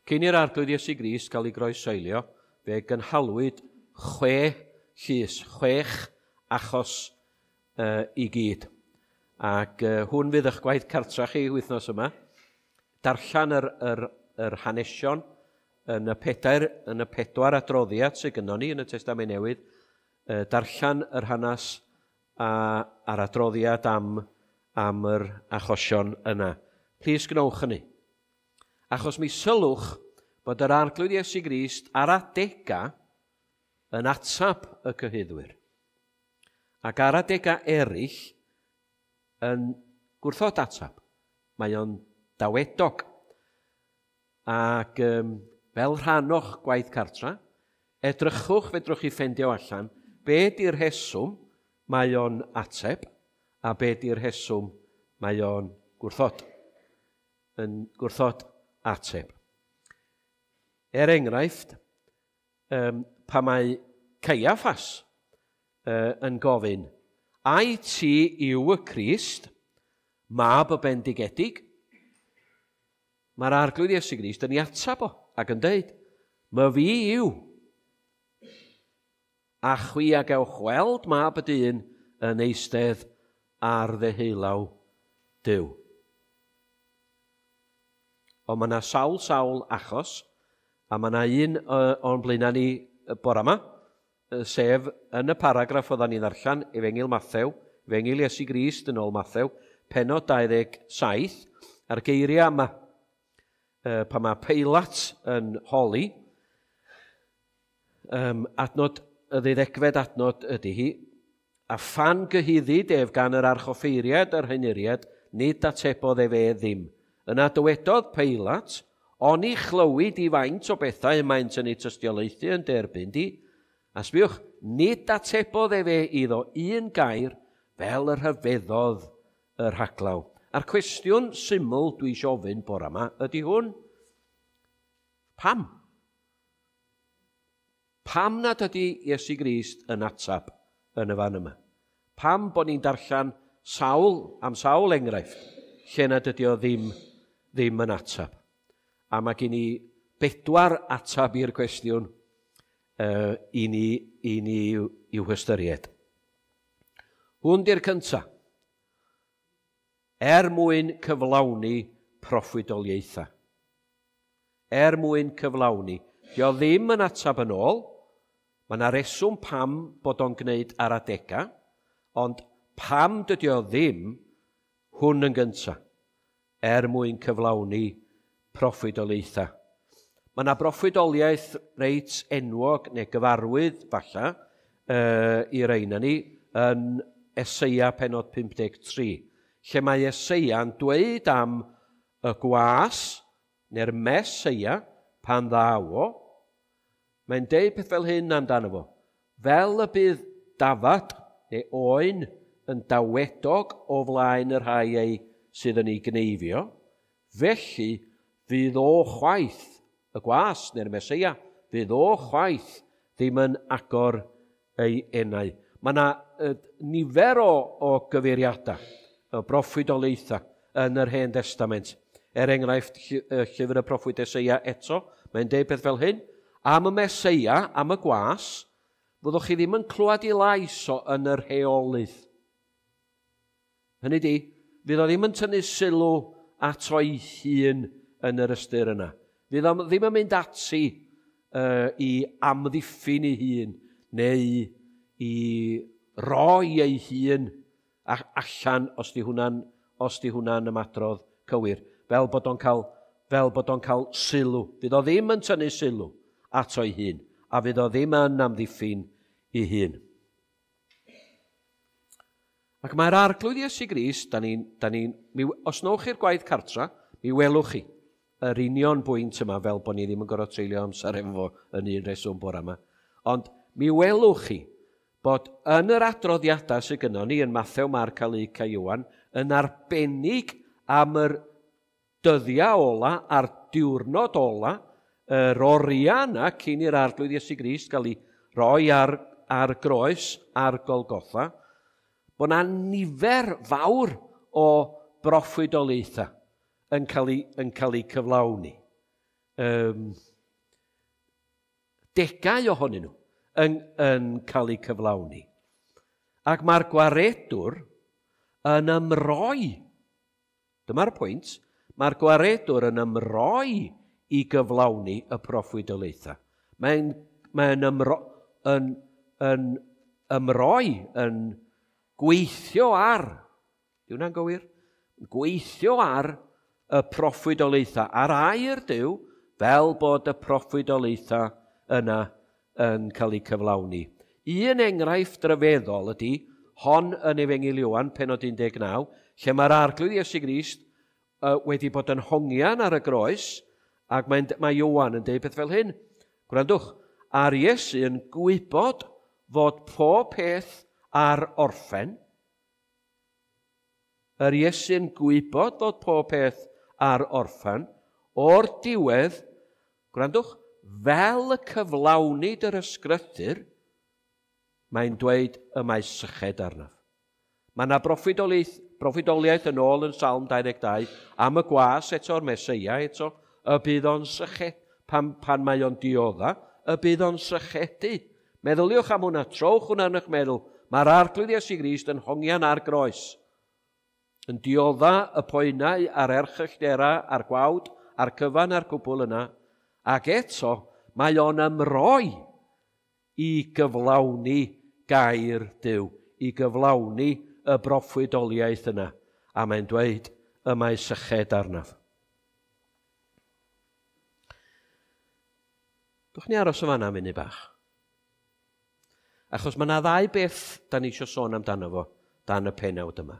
Cyn i'r Arglwydd Iesu Grist gael ei groesoelio, fe gynhalwyd 6 llys, 6 achos i gyd. Ac hwn fydd eich gwaith cartra chi wythnos yma. Darllen yr hanesion yn y 4 adroddiad sydd gynnon ni yn y Testament Newydd, darllen yr hanes a'r adroddiad am yr achosion yna. Plis gwnewch hynny. Achos mi sylwch bod yr Arglwydd Iesu Grist ar adega yn atab y cyhuddwyr. Ac ar adega eraill yn gwrthod atab. Mae o'n dawedog. Ac fel rhan o'ch gwaith cartra, edrychwch, fedrwch chi ffeindio allan be di'r rheswm mae o'n ateb a be di'r rheswm mae o'n gwrthod. Yn gwrthod ateb. Er enghraifft, pa mae Caiaffas yn gofyn, ai ti yw y Crist, mab y bendigedig? Mae'r Arglwydd Iesu Grist yn ei atab o ac yn dweud, my fi yw. A chwi a gewch weld mab y dyn yn eistedd ar ddeheulaw Duw. Ond mae yna sawl achos, a mae yna un o'n blaenau ni bore yma, sef yn y paragraff oeddan ni'n ddarllen, Efengyl Mathew, Efengyl Iesu Grist yn ôl Mathew, pennod 27, a'r geiriau yma, pan mae Peilat yn holi, adnod, y ddeuddegfed adnod ydy hi, a phan gyhuddid ef gan yr archoffeiriad a'r henuriad, nid atebodd ef e ddim. Yna dywedodd Peilat, oni chlywyd i faint o bethau y maent yn ei tystiolaethu yn derbyn di? A sbiwch, nid atebodd efe iddo un gair fel y rhyfeddodd y rhaglaw. A'r cwestiwn syml dwi isio ofyn bore yma ydy hwn. Pam? Pam nad ydy Iesu Grist yn atab yn y fan yma? Pam bod ni'n darllen am sawl enghraifft lle nad ydy o ddim yn atab? A mae gen i 4 atab i'r cwestiwn i ni i'w hystyried. Hwn di'r cynta. Er mwyn cyflawni proffwydoliaethau. Er mwyn cyflawni. Dio ddim yn atab yn ôl. Mae yna reswm pam bod o'n gwneud ar adega, ond pam dydy o ddim, hwn yn gynta. Er mwyn cyflawni proffwydoliaethau. Mae yna broffwydoliaeth reit enwog neu gyfarwydd falle i rei na ni yn Eseia pennod 53, lle mae Eseia'n dweud am y gwas neu'r Meseia pan ddaw o. Mae'n deud peth fel hyn amdano fo. Fel y bydd dafad neu oen yn dawedog o flaen y rhai ei sydd yn ei gneifio, felly fydd o chwaith, y gwas neu'r Meseia, fydd o chwaith ddim yn agor ei enau. Mae yna nifer o gyfeiriadau, o broffwydoliaethau yn yr Hen Destament. Er enghraifft, llyfr y proffwyd Eseia eto, mae'n deud peth fel hyn, am y Meseia, am y gwas, fyddwch chi ddim yn clywed ei lais o yn yr heolydd. Hynny di, fydd o ddim yn tynnu sylw ato ei hun yn yr ystyr yna. Fydd o ddim yn mynd ati i amddiffyn ei hun neu i roi ei hun allan os di hwnna'n ymadrodd cywir, fel bod o'n cael sylw. Fydd o ddim yn tynnu sylw ato ei hun, a fydd o ddim yn amddiffyn ei hun. Ac mae'r Arglwydd Iesu Grist, os nowch chi'r gwaith cartra, mi welwch chi yr union bwynt yma, fel bod ni ddim yn gorfod treulio amser efo fo yn un reswm bore yma. Ond mi welwch chi bod yn yr adroddiadau sydd gynnon ni yn Mathew, Marc a Luc a Ioan, yn arbennig am yr dyddiau ola a'r diwrnod ola, yr oriau yna cyn i'r Arglwydd Iesu Grist gael ei roi ar groes, ar Golgotha, bod yna nifer fawr o broffwydoliaethau yn cael eu cyflawni. degau ohonyn nhw yn cael eu cyflawni. Ac mae'r gwaredwr yn ymroi. Dyma'r pwynt. Mae'r gwaredwr yn ymroi i gyflawni y proffwydoliaethau. Mae'n ymroi, yn gweithio ar, di hwnna'n gywir? Gweithio ar y proffwydoliaethau, ar air Duw, fel bod y proffwydoliaethau yna yn cael eu cyflawni. Un enghraifft ryfeddol ydy hon yn Efengyl Ioan, pennod 19, lle mae'r Arglwydd Iesu Grist wedi bod yn hongian ar y groes, ac mae Ioan yn deud peth fel hyn. Gwrandwch, a'r Iesu yn gwybod fod pob peth ar orffen. Yr Iesu'n gwybod fod pob peth ar orffen, o'r diwedd, gwrandwch, fel y cyflawnid yr ysgrythur, mae'n dweud y mae syched arnaf. Mae yna proffwydoliaeth yn ôl yn Salm 22 am y gwas eto'r Meseia eto, y bydd o'n syched, pan mae o'n diodda, y bydd o'n sychedu. Meddyliwch am hwnna, trowch hwnna yn eich meddwl. Mae'r Arglwydd Iesu Grist yn hongian ar groes, yn diodda y poenau a'r erchyllterau a'r gwawd a'r cyfan a'r cwbl yna, ac eto mae o'n ymroi i gyflawni gair Duw, i gyflawni y broffwydoliaeth yna. A mae'n dweud, y mae syched arnaf. Dwch ni aros yn fan'na am munud bach. Achos mae yna ddau beth da ni eisiau sôn amdano fo dan y pennawd yma.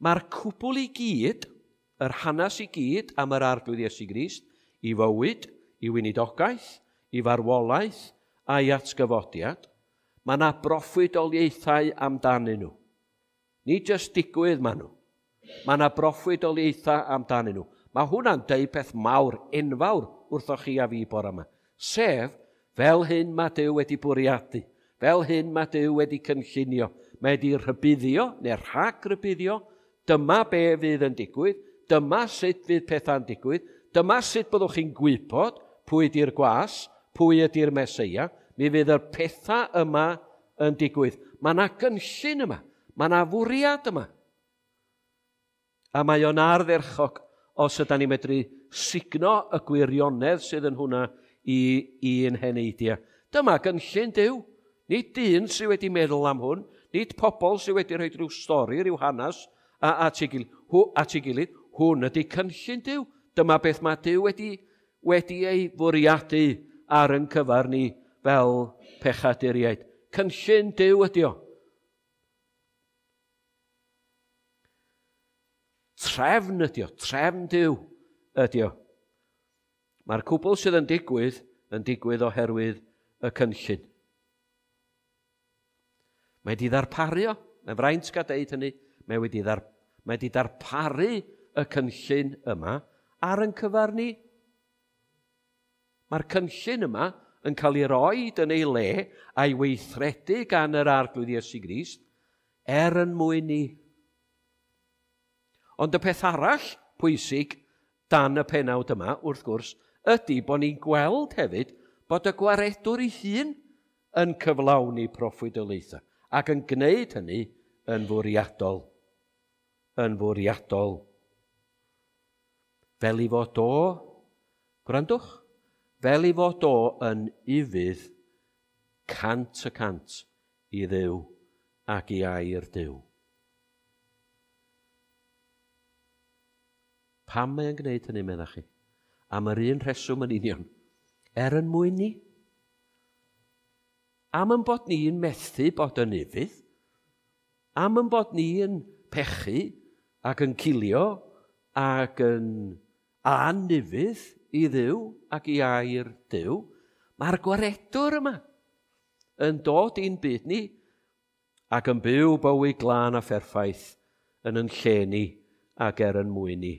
Mae'r cwbl i gyd, yr hanes i gyd am yr Arglwydd Iesu Grist, i fywyd, i weinidogaeth, i farwolaeth a'i atgyfodiad, mae yna broffwydoliaethau amdanyn nhw. Nid jyst digwydd maen nhw. Mae yna broffwydoliaethau amdanyn nhw. Mae hwnna'n deud peth mawr, enfawr wrthoch chi a fi bore yma. Sef, fel hyn mae Duw wedi bwriadu, fel hyn mae Duw wedi cynllunio, mae wedi rhybuddio neu rhag-rybuddio, dyma be fydd yn digwydd, dyma sut fydd pethau'n digwydd, dyma sut byddwch chi'n gwybod pwy ydy'r gwas, pwy ydy'r Meseia, mi fydd y pethau yma yn digwydd. Mae yna gynllun yma, mae yna fwriad yma. A mae o'n ardderchog os ydan ni'n medru sugno y gwirionedd sydd yn hwnna i ein heneidiau. Dyma gynllun Duw. Nid dyn sydd wedi meddwl am hwn, nid pobl sydd wedi rhoi rhyw stori, rhyw hanes at ei gilydd. Hwn ydy cynllun Duw. Dyma beth mae Duw wedi ei fwriadu ar yn cyfar ni fel pechaduriaid. Cynllun Duw ydy o. Trefn ydy o, trefn Duw ydy o. Mae'r cwbl sydd yn digwydd oherwydd y cynllun. Mae wedi ddarparu o, mae'n fraint gael deud hynny, mae wedi darparu y cynllun yma ar yn cyfar ni. Mae'r cynllun yma yn cael ei roed yn ei le a'i weithredu gan yr Arglwydd Iesu Grist er yn mwyn ni. Ond y peth arall pwysig dan y pennawd yma, wrth gwrs, ydy bod ni'n gweld hefyd bod y gwaredwr ei hun yn cyflawni proffwydoliaethau ac yn gwneud hynny yn fwriadol. Yn fwriadol. Fel i fod o, gwrandwch, fel i fod o yn ufudd 100% i Dduw ac i air Duw. Pam mae o'n gwneud hynny, meddach chi? Am yr un rheswm yn union. Er yn mwyn ni. Am yn bod ni'n methu bod yn ufudd. Am yn bod ni'n pechu ac yn cilio ac yn anufudd i Dduw ac i air Duw. Mae'r gwaredwr yma yn dod i'n byd ni ac yn byw bywyd glân a pherffaith yn yn lle ni ac er yn mwyn ni.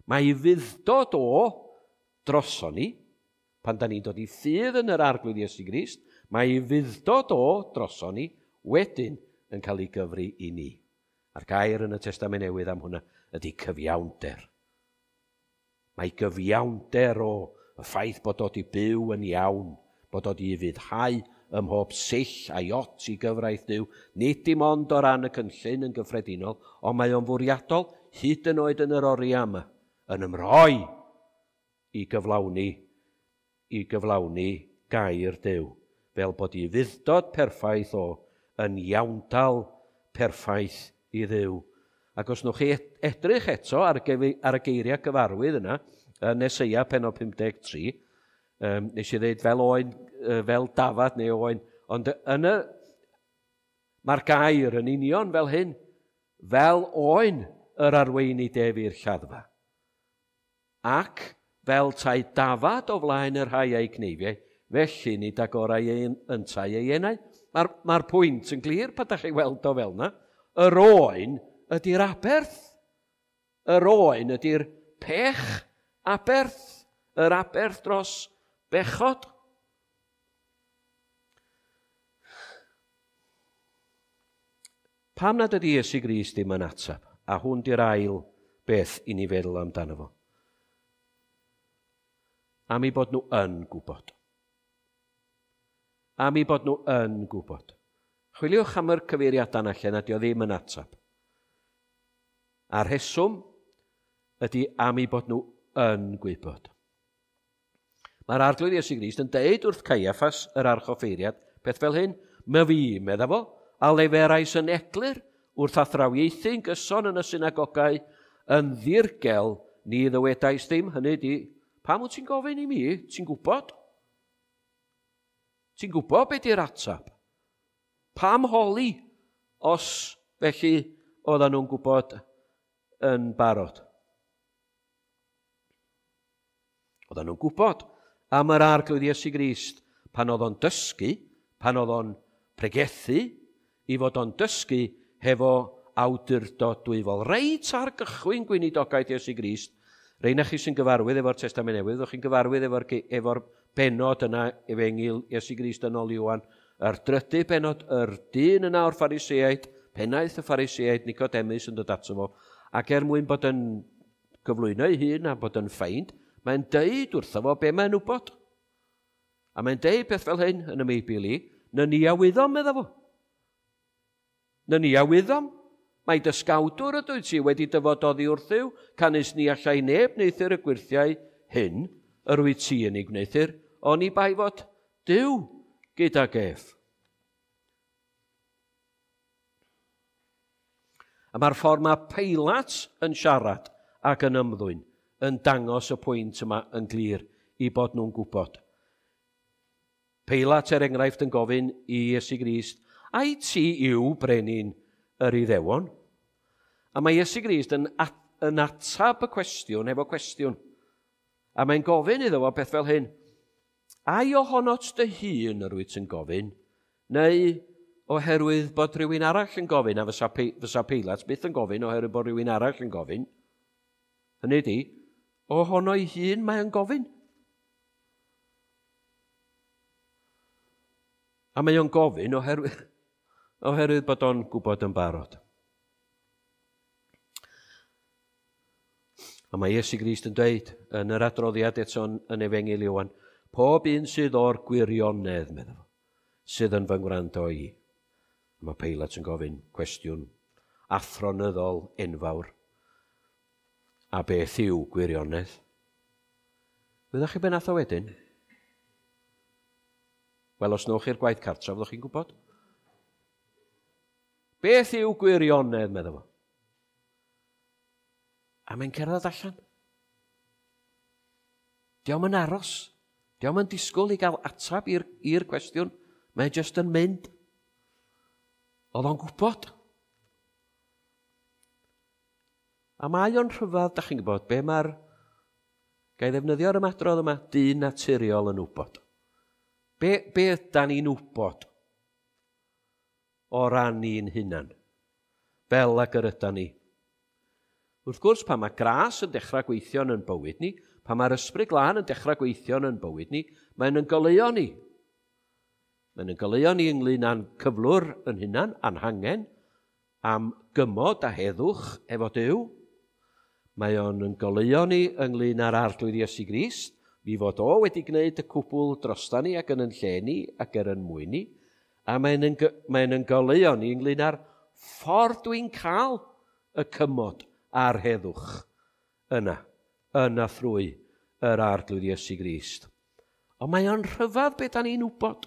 Mae ei fudd-dod o droson ni, pan da ni'n dod i ffydd yn yr Arglwydd Iesu Grist, mae ei fudd-dod o droson ni wedyn yn cael ei gyfri i ni. A'r gair yn y Testament Newydd am hwnna ydy cyfiawnder. Mae gyfiawnder o, y ffaith bod o 'di byw yn iawn, bod o 'di ufuddhau ym mhob sill a iot i gyfraith Duw, nid dim ond o ran y cynllun yn gyffredinol, ond mae o'n fwriadol hyd yn oed yn yr oriau yma, yn ymroi i gyflawni, i gyflawni gair Duw, fel bod i fuddod perffaith o yn iawndal perffaith i Dduw. Ac os nwch chi edrych eto ar, ar y geiriau gyfarwydd yna, yn Eseia pennod 53, nes i ddeud fel oen, fel dafad neu oen, ond yn y, mae'r gair yn union fel hyn, fel oen yr arweinid ef i'r lladdfa. Ac fel tai dafad o flaen y rhai a'i cneifiau, felly nid agorau ei yntau ei enau. Mae'r mae pwynt yn glir pan da chi weld o fel yna. Yr oen ydy'r aberth. Yr oen ydy'r pech aberth. Yr aberth dros bechod. Pam nad ydy Iesu Grist ddim yn ateb? A hwn di'r ail beth i ni feddwl amdano fo. Am eu bod nhw yn gwybod. Am eu bod nhw yn gwybod. Chwiliwch am yr cyfeiriadau yna lle nad yw ddim yn ateb. A'r rheswm ydy am eu bod nhw yn gwybod. Mae'r Arglwydd Iesu Grist yn deud wrth Caiaffas, yr archoffeiriad, peth fel hyn, "My fi, medda fo, a leferais yn eglur wrth athrawiaethu'n gyson yn y synagogau, yn ddirgel ni ddywedais ddim." Hynny ydy, pam wyt ti'n gofyn i mi? Ti'n gwybod? Ti'n gwybod beth di'r ateb? Pam holi os felly oedden nhw'n gwybod yn barod? Oedden nhw'n gwybod am yr Arglwydd Iesu Grist pan oedd o'n dysgu, pan oedd o'n pregethu, i fod o'n dysgu hefo awdurdod dwyfol. Reit ar gychwyn gweinidogaeth Iesu Grist, rei na chi sy'n gyfarwydd efo'r Testament Newydd, ddech chi'n gyfarwydd efo'r efo benod yna, Efengyl Iesu Grist yn ôl Ioan, yr drydydd benod, yr dyn yna o'r Phariseaid, pennaeth y Phariseaid, Nicodemus yn dod ato fo, ac er mwyn bod yn gyflwyno ei hun a bod yn ffeind, mae'n deud wrtho fo be mae'n wybod. A mae'n deud peth fel hyn yn y Meibl i, na ni a wyddom, medda fo. Na ni a wyddom. Mae dysgawdwr ydw ti wedi dyfod oddi wrthyw, canys ni allai neb wneuthur y gwyrthiau hyn, yr wyt ti yn ei gwneuthur, oni bai fod Duw gydag ef. A mae'r ffordd mae Peilat yn siarad ac yn ymddwyn yn dangos y pwynt yma yn glir i bod nhw'n gwybod. Peilat, er enghraifft, yn gofyn i Iesu Grist, ai ti yw brenin yr Iddewon? A mae Iesu Grist yn, at, yn atab y cwestiwn efo cwestiwn. A mae'n gofyn iddo fo beth fel hyn, ai ohonot dy hun yr wyt yn gofyn, neu oherwydd bod rhywun arall yn gofyn, a fysa, fysa Peilat byth yn gofyn oherwydd bod rhywun arall yn gofyn. Hynny ydi, ohono'i hun mae o'n gofyn. A mae o'n gofyn oherwydd, oherwydd bod o'n gwybod yn barod. A mae Iesu Grist yn dweud yn yr adroddiad eto yn Efengyl Ioan, pob un sydd o'r gwirionedd, meddwl fo, sydd yn fy ngwrando i. A mae Peilat yn gofyn cwestiwn athronyddol enfawr. A beth yw gwirionedd? Wyddoch chi be nath o wedyn? Wel, os nowch chi'r gwaith cartref, fyddwch chi'n gwybod. Beth yw gwirionedd, meddwl fo? A mae'n cerdded allan. Dio'm yn aros. Dio'm yn disgwyl i gael atab i'r cwestiwn. Mae'n just yn mynd. Oedd o'n gwybod. A mae o'n rhyfedd, da chi'n gwybod, be mae'r... Ga i ddefnyddio'r ymadrodd yma, dyn naturiol yn wybod. Be, be ydan ni'n wybod o ran ni'n hunan? Fel ag yr ydan ni. Wrth gwrs, pan mae gras yn dechrau gweithio yn bywyd ni, pan mae'r Ysbryd Glân yn dechrau gweithio yn bywyd ni, mae'n yn goleuo ni. Mae'n yn goleuo ni ynglyn â'n cyflwr yn hunan, a'n hangen, am gymod a heddwch efo Duw. Mae o'n yn goleuo ni ynglyn â'r Arglwydd Iesu Grist, mi fod o wedi gwneud y cwbl drosta ni ac yn yn lle ni ac er yn mwyn ni, a mae'n yn, mae yn goleuo ni ynglyn â'r ffordd dwi'n cael y cymod a'r heddwch yna, yna thrwy yr Arglwydd Iesu Grist. Ond mae o'n rhyfedd beth da ni'n wybod.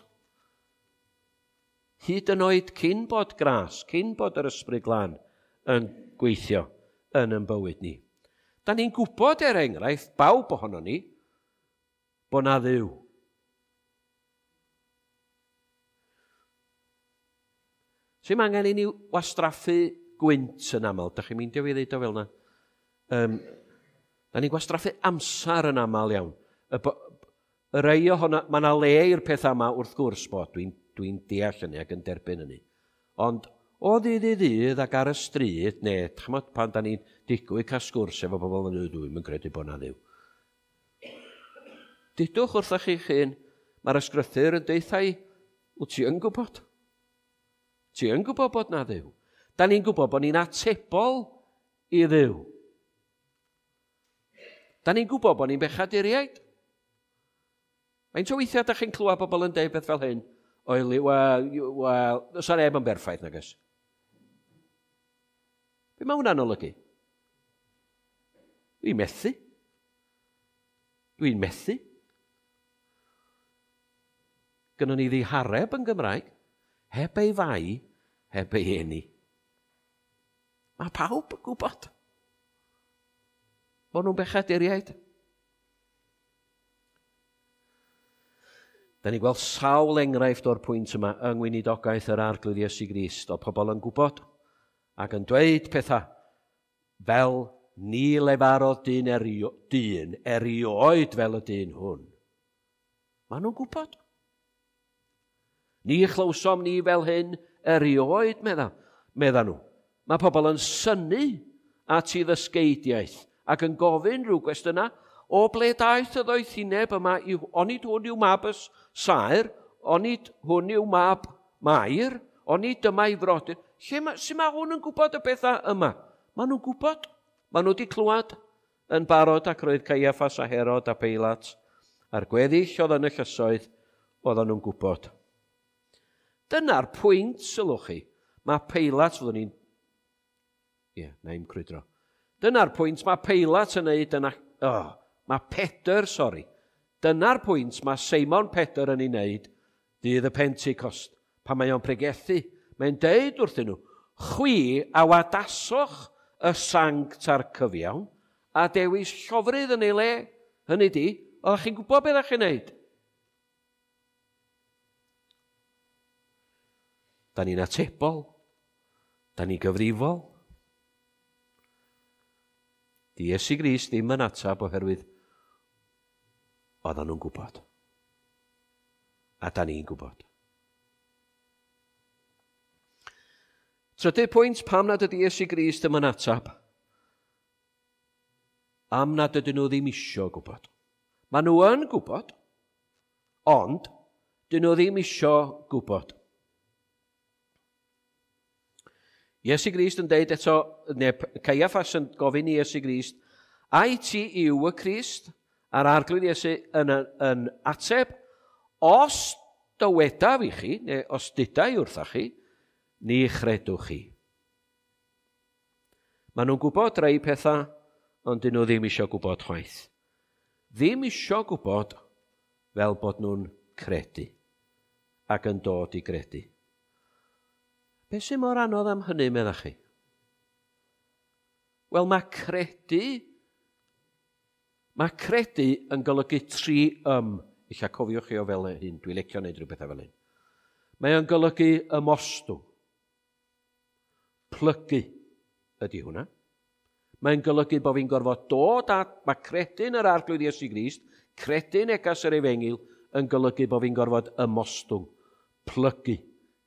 Hyd yn oed cyn bod gras, cyn bod yr Ysbryd Glân yn gweithio yn yn bywyd ni. Da ni'n gwybod, er enghraifft, bawb ohono ni, bod na Dduw. Sy'n angen i ni wastraffu gwynt yn aml. Da chi'n meindio fi ddeud o fel yna? Da ni'n gwastraffu amser yn aml iawn. Y, y rei ohono, mae yna le i'r peth yma wrth gwrs bod, dwi'n dwi deall hynny ac yn derbyn hynny. Ond o ddydd i ddydd ac ar y stryd, neu ch'mod, pan da ni'n digwydd cael sgwrs efo bobl yn dweud, dwi'n credu bod na Dduw. Dudwch wrthych chi'ch hun, mae'r ysgrythyr yn deutha i, wyt ti yn gwybod? Ti yn gwybod bod na Dduw? Da ni'n gwybod bod ni'n atebol i Dduw. Da ni'n gwybod bod ni'n bechaduriaid. Faint o weithiau da chi'n clywed bobl yn deud beth fel hyn? Oeli, wel, wel, does neb yn berffaith, nag oes? Be mae hwnna'n olygu? Dwi'n methu. Dwi'n methu. Gynnon ni ddihareb yn Gymraeg, heb ei fai, heb ei eni. Mae pawb yn gwybod bod nhw'n bechaduriaid. Da ni'n gweld sawl enghraifft o'r pwynt yma yng ngweinidogaeth yr Arglwydd Iesu Grist, o pobl yn gwybod ac yn dweud pethau fel ni lefarodd dyn, erio, dyn erioed fel y dyn hwn. Maen nhw'n gwybod. Ni chlywsom ni fel hyn erioed, medda, medda nhw. Mae pobl yn synnu at ei ddysgeidiaeth ac yn gofyn rhyw gwestiynau, o ble daeth y ddoethineb yma, onid hwn yw mab y saer, onid hwn yw mab Mair, onid dyma ei frodyr. Lle ma, sut mae hwn yn gwybod y bethau yma? Maen nhw'n gwybod. Maen nhw wedi clywed yn barod ac roedd Caiaffas a Herod a Peilat a'r gweddill oedd yn y llysoedd, oedden nhw'n gwybod. Dyna'r pwynt, sylwch chi. Mae Peilat, fyddwn ni'n... Ie, yeah, na i'm crwydro. Dyna'r pwynt mae Peilat yn neud yna... Oh, mae Pedr, sori. Dyna'r pwynt mae Seimon Pedr yn ei wneud dydd y Pentecost. Pan mae o'n pregethu, mae'n deud wrthyn nhw, chwi a wadasoch y sanct a'r cyfiawn a dewis llofrudd yn ei le. Hynny di, oeddech chi'n gwybod beth ydych chi'n neud? Da ni'n atebol. Da ni'n gyfrifol. Di Iesu Grist ddim yn atab oherwydd oedden nhw'n gwybod. A da ni'n gwybod. Trydydd pwynt, pam nad ydy Iesu Grist ddim yn atab? Am nad ydyn nhw ddim isio gwybod. Maen nhw yn gwybod, ond dyn nhw ddim isio gwybod. Iesu Grist yn deud eto, neu Caiaffas yn gofyn i Iesu Grist, ai ti yw y Crist? A'r Arglwydd Iesu yn, yn ateb, os dywedaf i chi, neu os dudai wrthach chi, ni chredwch chi. Maen nhw'n gwybod rhai pethau, ond dyn nhw ddim eisiau gwybod chwaith. Ddim eisiau gwybod fel bod nhw'n credu ac yn dod i gredu. Be sy'n mor anodd am hynny, meddach chi? Wel, mae credu yn golygu tri ym. Ella cofiwch chi o fel hyn, dwi'n licio wneud rhywbeth fel hyn. Mae o'n golygu ymostwng. Plygu ydy hwnna. Mae'n golygu bod fi'n gorfod dod at, mae credu'n yr Arglwydd Iesu Grist, credu negas yr Efengyl, yn golygu bod fi'n gorfod ymostwng, plygu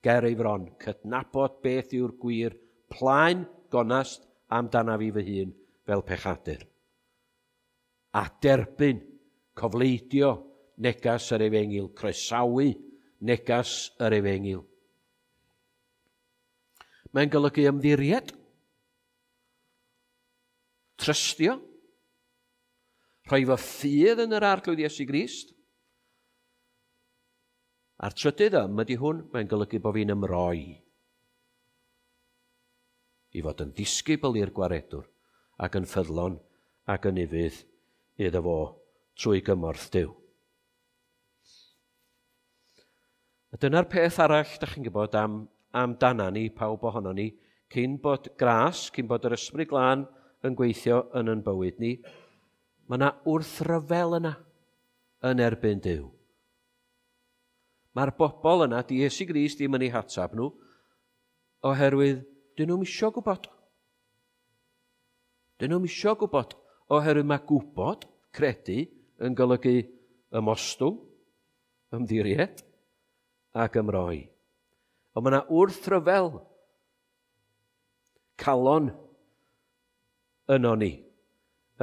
ger ei fron, cydnabod beth yw'r gwir, plaen gonast amdana fi fy hun fel pechadur. A derbyn, cofleidio negas yr Efengyl, croesawu negas yr Efengyl. Mae'n golygu ymddiried. Trystio, rhoi fy ffydd yn yr Arglwydd Iesu Grist. A'r trydydd ym ydy hwn, mae'n golygu bod fi'n ymroi i fod yn ddisgybl i'r gwaredwr ac yn ffyddlon ac yn ufudd iddo fo trwy gymorth Duw. A dyna'r peth arall, da chi'n gwybod, am, amdana ni, pawb ohono ni, cyn bod gras, cyn bod yr Ysbryd Glân yn gweithio yn yn bywyd ni, mae yna wrthryfel yna yn erbyn Duw. Mae'r bobl yna, di Iesu Grist ddim yn eu hatab nhw, oherwydd dyn nhw'm isio gwybod. Dyn nhw'm isio gwybod, oherwydd mae gwybod, credu, yn golygu ymostwng, ymddiried ac ymroi. Ond mae yna wrthryfel calon yno ni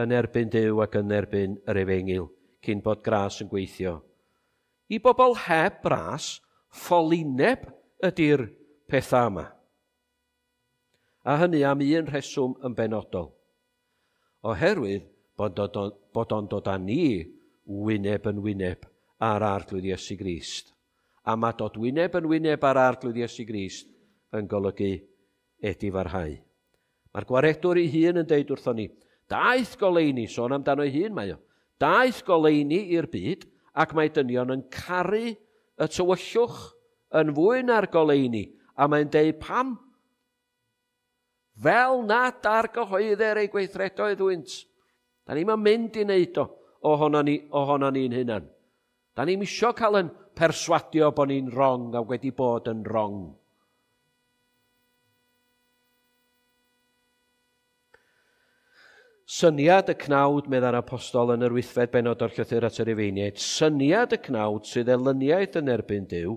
yn erbyn Duw ac yn erbyn yr efengyl cyn bod gras yn gweithio. I bobl heb ras, ffolineb ydy'r pethau yma. A hynny am un rheswm yn benodol. Oherwydd bod, bod o'n dod â ni wyneb yn wyneb ar Arglwydd Iesu Grist. A mae dod wyneb yn wyneb ar Arglwydd Iesu Grist yn golygu edifarhau. Mae'r gwaredwr ei hun yn deud wrthon ni, daeth goleuni, sôn amdano ei hun mae o, daeth goleuni i'r byd ac mae dynion yn caru y tywyllwch yn fwy na'r goleuni. A mae'n deud pam? Fel nad argyhoeddir ei gweithredoedd hwynt. Da ni'n mynd i wneud o ohono ni, ohono ni'n hunan. Da ni'n isio cael yn perswadio bod ni'n wrong a wedi bod yn wrong. Syniad y cnawd, meddai'r apostol yn yr wythfed bennod o'r llythyr at yr Rufeiniaid, syniad y cnawd sydd elyniaeth yn erbyn Duw,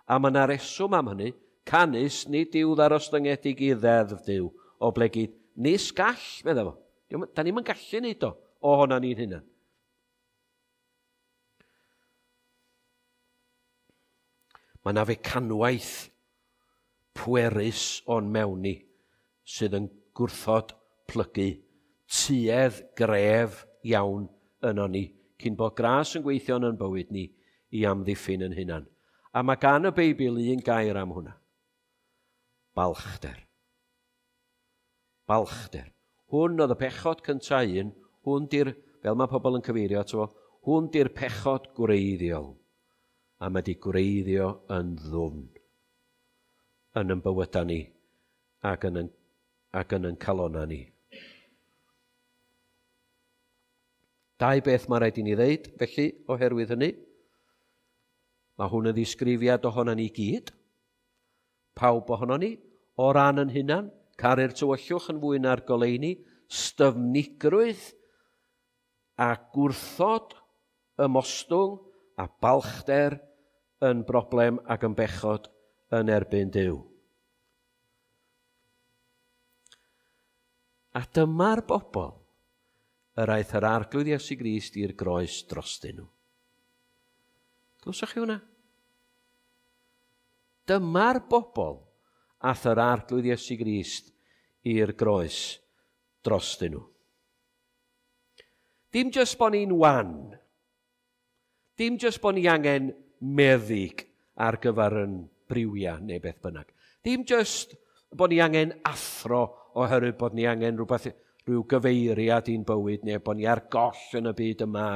a mae yna reswm am hynny, canys nid yw ddarostyngedig i ddeddf Duw, oblegid nis gall, meddai fo. Da ni'm yn gallu neud o, ohono ni'n hunan. Mae yna fecanwaith pwerus o'n mewn ni sydd yn gwrthod plygu tuedd gref iawn yno ni, cyn bod gras yn gweithio yn bywyd ni i amddiffyn yn hunan. A mae gan y Beibl un gair am hwnna. Balchder. Balchder. Hwn oedd y pechod cyntaf un, hwn di'r, fel mae pobl yn cyfeirio ato fo, hwn di'r pechod gwreiddiol. A mae di gwreiddio yn ddwfn yn yn bywydau ni ac yn yn, ac yn yn calonna ni. Dau beth mae rhaid i ni ddeud, felly, oherwydd hynny. Mae hwn yn ddisgrifiad ohono ni gyd. Pawb ohono ni, o ran yn hunan, caru'r tywyllwch yn fwy na'r goleuni, styfnigrwydd a gwrthod ymostwng a balchder yn broblem ac yn bechod yn erbyn Duw. A dyma'r bobl yr aeth yr Arglwydd Iesu Grist i'r groes drostyn nhw. Glywsoch chi hwnna? Dyma'r bobl ath yr Arglwydd Iesu Grist i'r groes drostyn nhw. Dim jyst bod ni'n wan. Dim jyst bod ni angen meddyg ar gyfer yn briwiau neu beth bynnag. Dim jyst bod ni angen athro oherwydd bod ni angen rhywbeth, rhyw gyfeiriad i'n bywyd neu bod ni ar goll yn y byd yma.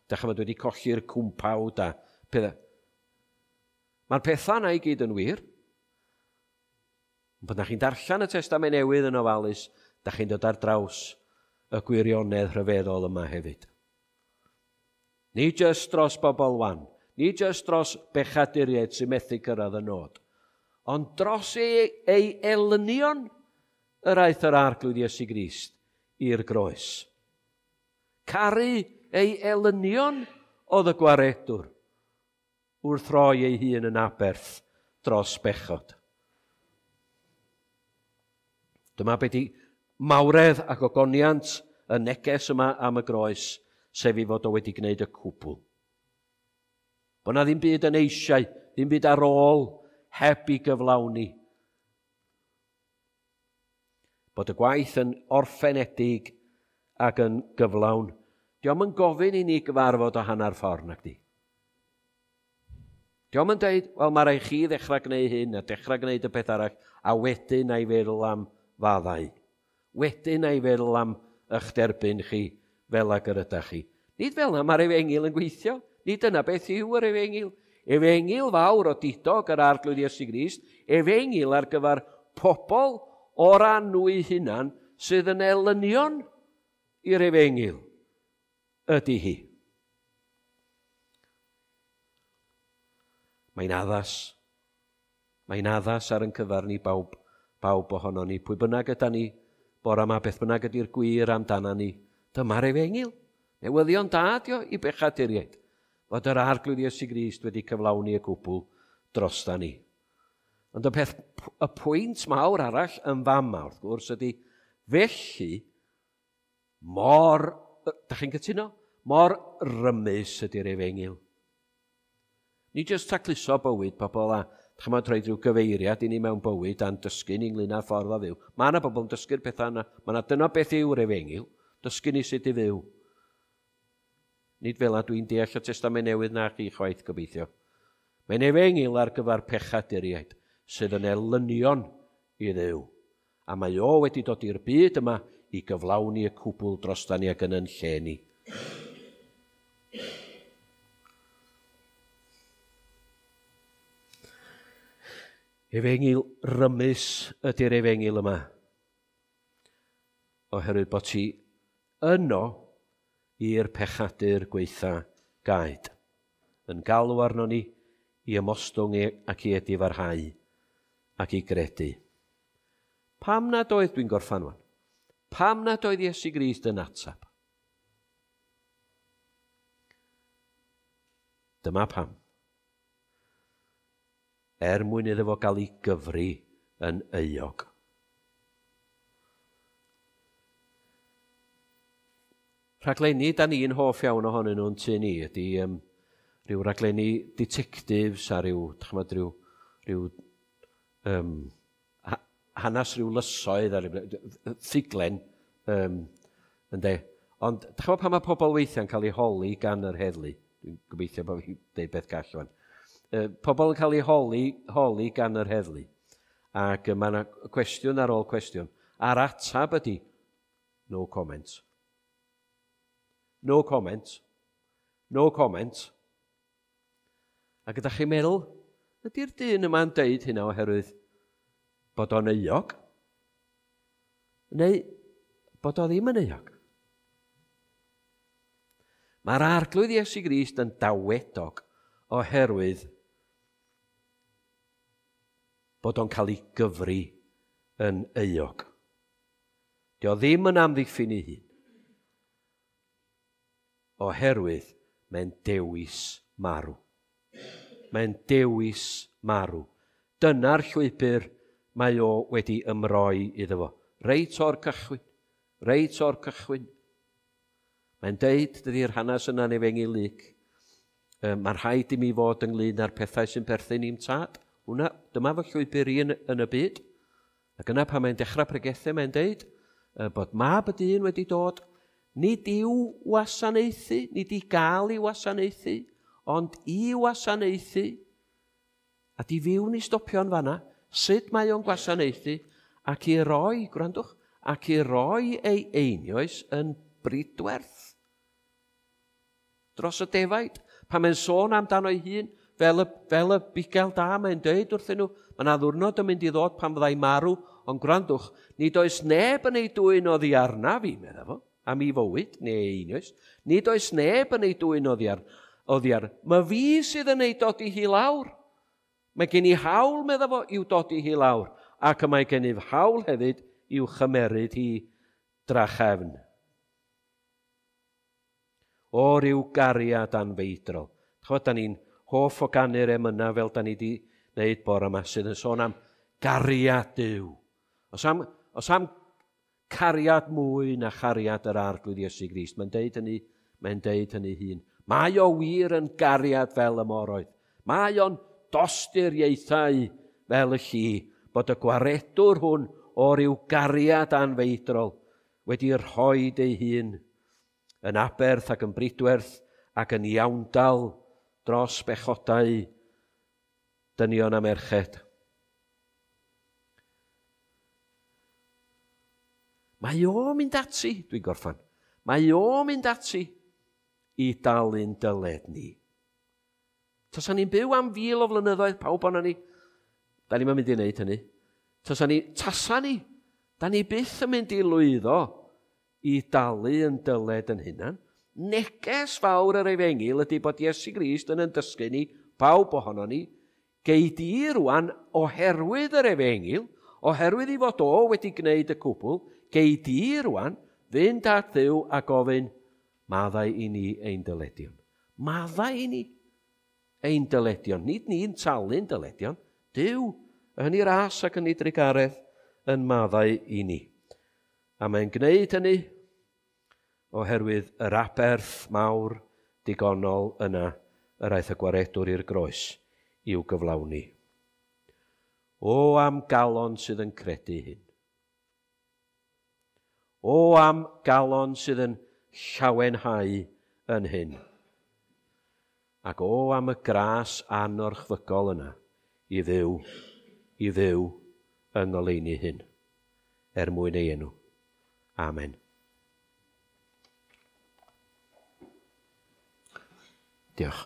Dach chi'n wedi colli'r cwmpawd a pethau. Mae'r pethau yna i gyd yn wir. Ond pan da chi'n darllen y Testament Newydd yn ofalus, da chi'n dod ar draws y gwirionedd rhyfeddol yma hefyd. Nid jyst dros bobl wan, nid jyst dros bechaduriaid sy'n methu cyrraedd y nod, ond dros ei, ei elynion yr aeth yr Arglwydd Iesu Grist i'r groes. Caru ei elynion oedd y gwaredwr wrth roi ei hun yn aberth dros bechod. Dyma beth i mawredd ac ogoniant y neges yma am y groes, sef i fod o wedi gwneud y cwbl. Bod na ddim byd yn eisiau, ddim byd ar ôl heb i gyflawni. Bod y gwaith yn orffenedig ac yn gyflawn. Dio'm yn gofyn i ni gyfarfod o hanner ffordd, nag di. Dio'm yn deud, wel, mae rhaid chi ddechrau gwneud hyn a dechrau gwneud y peth arall, a wedyn na i feddwl am faddau. Wedyn na i feddwl am eich derbyn chi fel ag yr ydych chi. Nid fel yna mae'r efengyl yn gweithio. Nid dyna beth yw yr efengyl. Efengyl fawr o didog yr Arglwydd Iesu Grist, efengyl ar gyfer pobl o ran nhw eu hunan sydd yn elynion i'r efengyl ydy hi. Mae'n addas. Mae'n addas ar yn cyfer ni bawb, bawb ohono ni. Pwy bynnag yda ni, bore yma, beth bynnag ydy'r gwir amdana ni, dyma'r efengyl. Newyddion da dio i bechaduriaid, fod yr Arglwydd Iesu Grist wedi cyflawni y cwbl drosta ni. Ond y peth, y pwynt mawr arall yn fama, wrth gwrs, ydy felly mor, da chi'n cytuno? Mor rymus ydy'r efengyl. Ni jyst tacluso bywyd pobl a chymod rhoi rhyw gyfeiriad i ni mewn bywyd a'n dysgu ni ynglyn â'r ffordd o fyw. Mae yna bobl yn dysgu'r pethau yna. Mae yna dyna beth yw'r efengyl. Dysgu ni sut i fyw. Nid fel a dwi'n deall y Testament Newydd na chi chwaith gobeithio. Mae'n efengyl ar gyfer pechaduriaid sydd yn elynion i Dduw. A mae o wedi dod i'r byd yma i gyflawni y cwbl drosta ni ac yn yn lle ni. Efengyl rymus ydy'r efengyl yma. Oherwydd bod ti yno i'r pechadur gweitha gaed. Yn galw arno ni i ymostwng ac i edifarhau ac i gredu. Pam nad oedd, dwi'n gorffan wan, pam nad oedd Iesu Grist yn atab? Dyma pam. Er mwyn iddo fo gael ei gyfri yn euog. Rhaglenni da ni'n hoff iawn ohonyn nhw'n tŷ ni ydy rhyw raglenni detectives a rhyw, chymod, rhyw hanes rhyw lysoedd a rhyw ffuglen, ynde. Ond chymod pan mae pobl weithiau'n cael eu holi gan yr heddlu, dwi'n gobeithio bod fi'n deud beth gall wan. Pobl yn cael eu holi gan yr heddlu, ac mae yna cwestiwn ar ôl cwestiwn, a'r atab ydy, no comment. No comment. No comment. Ac ydych chi'n meddwl, ydy'r dyn yma'n deud hynna oherwydd bod o'n euog? Neu bod o ddim yn euog? Mae'r Arglwydd Iesu Grist yn dawedog oherwydd bod o'n cael ei gyfri yn euog. Dio ddim yn amddiffyn ei hun. Oherwydd mae'n dewis marw. Mae'n dewis marw. Dyna'r llwybr mae o wedi ymroi iddo fo. Reit o'r cychwyn. Reit o'r cychwyn. Mae'n deud, dydy'r hanes yna'n Efengyl Luc, mae'n rhaid i mi fod ynglyn â'r pethau sy'n perthyn i'm tad. Hwna, dyma fy llwybr i yn y byd. Ac yna pan mae'n dechrau pregethu, mae'n deud bod mab y dyn wedi dod, nid i'w wasanaethu, nid i gael ei wasanaethu, ond i wasanaethu, a di fyw ni stopio'n fanna, sut mae o'n gwasanaethu, ac i roi, gwrandwch, ac i roi ei einioes yn bridwerth dros y defaid. Pan mae'n sôn amdano ei hun, fel y bugail da, mae'n deud wrthyn nhw, mae yna ddiwrnod yn mynd i ddod pan fyddai marw, ond gwrandwch, nid oes neb yn ei dwyn oddi arna fi, medda fo, am ei fywyd, neu ei einioes, nid oes neb yn ei dwyn oddi ar. Mae fi sydd yn ei dodi hi lawr. Mae gen i hawl, medda fo, i'w dodi hi lawr, ac y mae gennyf hawl hefyd i'w chymeryd hi drachefn. O ryw gariad anfeidrol. Ch'mod, da ni'n hoff o ganu'r emynau fel da ni di wneud bore yma, sydd yn sôn am gariad Duw. Os am cariad mwy na chariad yr Arglwydd Iesu Grist, mae'n deud hynny hun. Mae o wir yn gariad fel y moroedd. Mae o'n dosturiaethau fel y lli, bod y gwaredwr hwn o ryw gariad anfeidrol wedi rhoi ei hun yn aberth ac yn bridwerth ac yn iawndal dros bechodau dynion a merched. Mae o'n mynd ati, dwi'n gorffan, mae o'n mynd ati i dalu'n dyled ni. Tasa ni'n byw am 1,000 o flynyddoedd, pawb o'na ni, da ni'n mynd i wneud hynny. Tasa ni, da ni byth yn mynd i lwyddo i dalu yn dyled yn hunan. Neges fawr yr efengyl ydy bod Iesu Grist yn dysgu ni, pawb ohono ni, gei di rwan oherwydd yr efengyl, oherwydd i fod o wedi gwneud y cwbl, gei di rwan fynd at Dduw a gofyn, maddau i ni ein dyledion. Maddau i ni ein dyledion. Nid ni'n talu'n dyledion. Duw, yn ei ras ac yn ei drugaredd, yn maddau i ni. A mae'n gwneud hynny oherwydd yr aberth mawr digonol yna yr aeth y gwaredwr i'r groes i'w gyflawni. O am galon sydd yn credu hyn. O am galon sydd yn llawenhau yn hyn. Ac o am y gras anorchfygol yna i fyw yng ngoleuni hyn, er mwyn ei enw. Amen. Diolch.